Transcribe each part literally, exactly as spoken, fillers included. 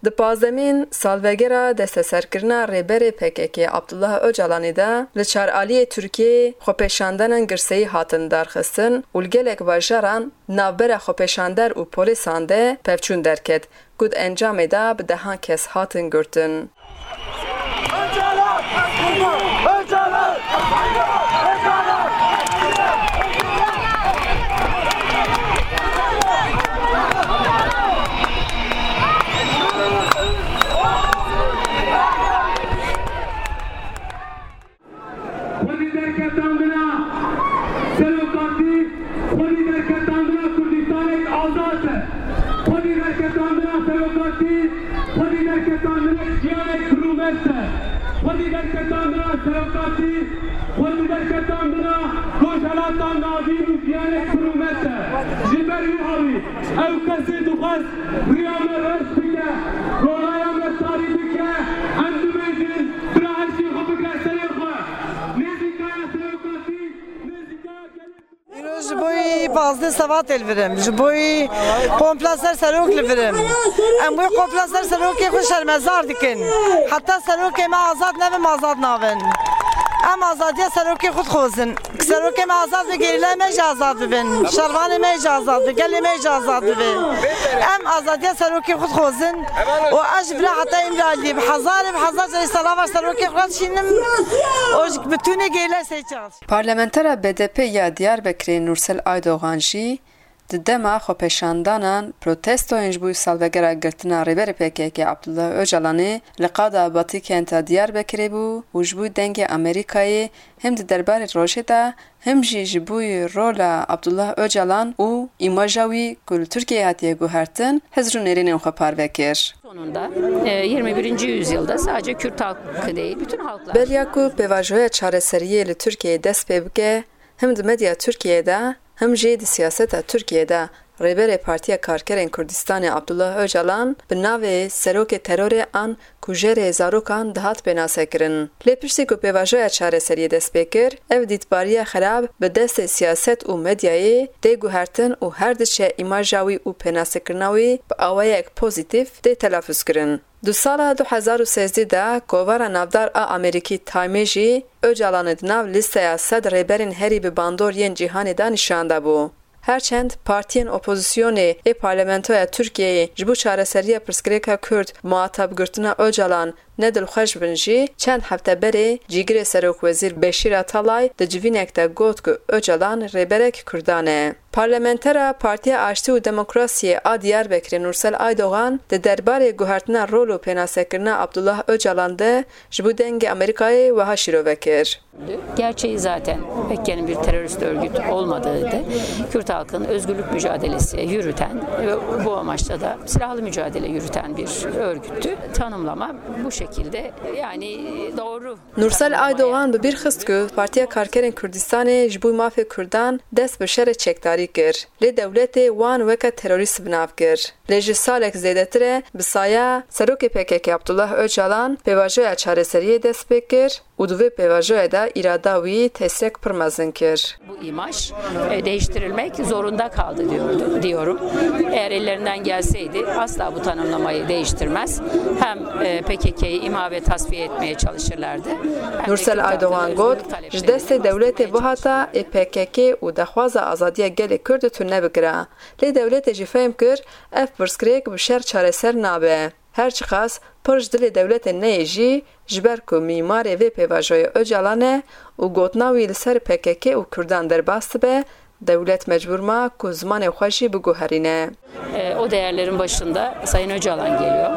Di pazdemîn salvegera desteserkirina rêberê P K K Abdullah Ocalanê de li çaraliyê Tirkiyeyê xwepêşandanan girseyî hatin darxistin û li gelek bajaran navbera xwepêşander û polîsan de pevçûn derket ku di encamê de bi dehan kes hatin girtin. Xwedî derketandina serokatî, xwedî derketandina Kurdistanek azad e. Xwedî derketandina serokatî, xwedî derketandina jiyanek bi rûmet e. Xwedî derketandina serokatî, xwedî derketandina rojhelata navîn û jiyanek bi rûmet e. Ji ber wî havî ew kesê dixwest riya me reş bike, rolaya me tarî bike, em dibêjin, bira her şey xwe bigre serê xwe. Nêzîkaya serokatî, nêzîkaya gelê. Îro ji bo yî pazdeh Sebatê li vir im, ji bo yî kompla ser serok li vir im. Em wê kompla ser serokê xwe şermezar dikin. Heta serokê me azad nebin, em azad nabin. Em azadiya serokê xwe dixwazin. Serokê me azad be, gerîlayê me jî azad bibin. Şervanê me jî azad be, gelê me jî azad bibe. Em azadiya serokê xwe dixwazin û ez ji bira heta Îmraliyê bi hezarê bi hezar carî salava serokê xwe dişînim û ji bi tûnê gerîlayê sey çar. Parlamentera B D P ya Diyarbekirê Nursel Aydogan jî di dema xwepêşandanan protestoyên ji bo salvegera girtina Rêberê P K K Abdullah Ocalanê li qada Batî kenta Diyarbekirê bû û ji bo Dengê Amerîkayê hem di derbarê rojê de hem jî ji bo rola Abdullah Ocalan û îmaja wî ku li Tirkiyeyê hatiye guhertin, hizr û nêrînên xwe parve kir. Sonunda, e, yirmi birinci yüzyılda sadece Kürt halkı değil, bütün halklar. Beriya ku pêvajoya çareseriyê li Tirkiyeyê dest pê bike, hem di medya Tirkiyeyê de, hem jî di siyaseta Tirkiyeyê de Rêberê Partiya Karkerên Kurdistanê Abdullah Ocalan bi navê serokê terorê an kujerê zarokan dihat pênasekirin. Lê piştî ku pêvajoya çareseriyê dest pê kir, ev dîtbariya xerab bi destê siyaset û medyayê tê guhertin û her diçe îmaja wî û pênasekirina wî bi awayek pozîtîf tê telafuzkirin. Di sala du hezar û sêzdeh de kovara navdar a Amerîkî Time jî Ocalanê di nav lîsteya sed rêberên herî bi bandor yên cîhanê de nîşan dabû. Her çend partiyên opozisyonê ê parlamentoya Tirkiyeyê ji bo çareseriya pirsgirêka Kurd muhatab girtina Ocalan ne dilxweş bin jî, çend hefte berê cîgirê serokwezîr Beşîr Atalay di civînek de got ku Ocalan rêberek Kurdan e. Parlamentera Partiya Aştî û Demokrasiyê a Diyarbekirê Nursel Aydogan di derbarê guhertina rol û pênasekirina Abdullah Ocalan de ji bo Dengê Amerîkayê wiha şîrove kir. Gerçeği zaten P K K'nin bir terörist örgüt olmadığıydı. Kürt halkının özgürlük mücadelesi yürüten ve bu amaçla da silahlı mücadele yürüten bir örgüttü. Tanımlama bu şekilde, yani doğru. Nursel Aydogan bi bîr xist ku Partiya Karkerên Kurdistanê ji bo mafê Kurdan dest bi şerê çekdarî kir. Lê dewletê wan weke terorîst bi nav kir. Lê ji salek zêdetir e bi saya serokê P K K Abdullah Ocalan pêvajoya çareseriyê dest pê kir û di vê pêvajoyê de îrada wî testek pir mezin kir. Bu imaj, e, değiştirilmek zorunda kaldı diyordu, diyorum. Eğer ellerinden gelseydi asla bu tanımlamayı değiştirmez. Hem, e, P K K'yı imha ve tasfiye etmeye çalışırlardı. Hem de Nursel Kürt Aydogan halkının got, özgürlük ji taleplerini destê dewletê bastırmaya bihata ê P K K û daxwaza azadiya gelê Kurd tune bikira. Lê dewletê jî fehm kir, ev pirsgirêk bi şer çareser nabe. Her çiqas pir ji dilê dewletê neyê jî, ji ber ku mîmarê vê pêvajoyê Ocalan e û gotina wî li ser P K K û Kurdan derbas dibe, dewlet mecbûr ma ku zimanê xwe jî biguherîne. E, o değerlerin başında Sayın Öcalan geliyor.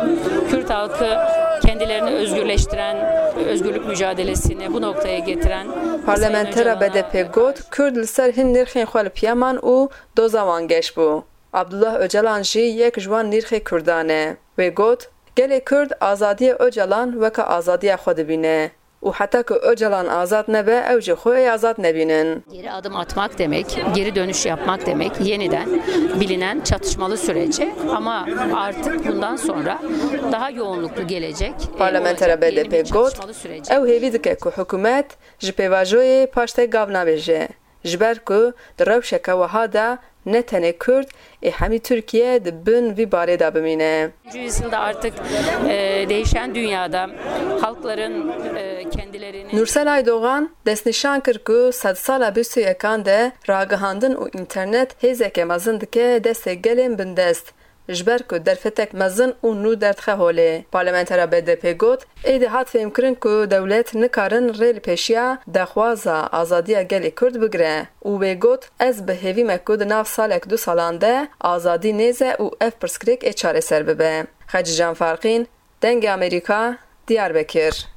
Kürt halkı kendilerini özgürleştiren, özgürlük mücadelesini bu noktaya getiren Parlamentera B D P got, Kurd li ser hin nirxên xwe li piya man û doza wan geş bû. Abdullah Ocalan jî yek ji wan nîrxê Kurdan e. Wê got, gelê Kurd azadiyê Ocalan weke azadiya xwe dibîne û heta ku Ocalan azad nebe, ew jî xwe ê azad nebînin. Geri adım atmak demek, geri dönüş yapmak demek, yeniden bilinen çatışmalı sürece ama artık bundan sonra daha yoğunluklu gelecek. E, Parlamentera olacak yeni bir B D P got, çatışmalı sürece. Ew hêvî dike ku hikûmet ji pêvajoyê paştê gav nabêje. Ji ber ku di rewşeke wiha de ne tenê Kurd, ê hemî Tirkiye di bin vî barê de bimîne. Yüzyılda artık e, değişen dünyada halkların e, kendilerini Nursel Aydogan destnîşan kir ku sedsala bîst û yekan de ragihandin û înternet hêzeke mezin dike destê gelên bindest, ji ber ku derfetek mezin û nû derdixe holê. Parlamentera B D P got, êdî hat fêhmkirin ku dewlet nikarin rê li pêşiya daxwaza azadiya gelê Kurd bigire û wê got, ez bi hêvî me ku di nav salek du salan de azadî nêze û ev pirsgirêk ê çareser bibe. Xecîcan Farqîn, Dengê Amerîka, Diyarbekir.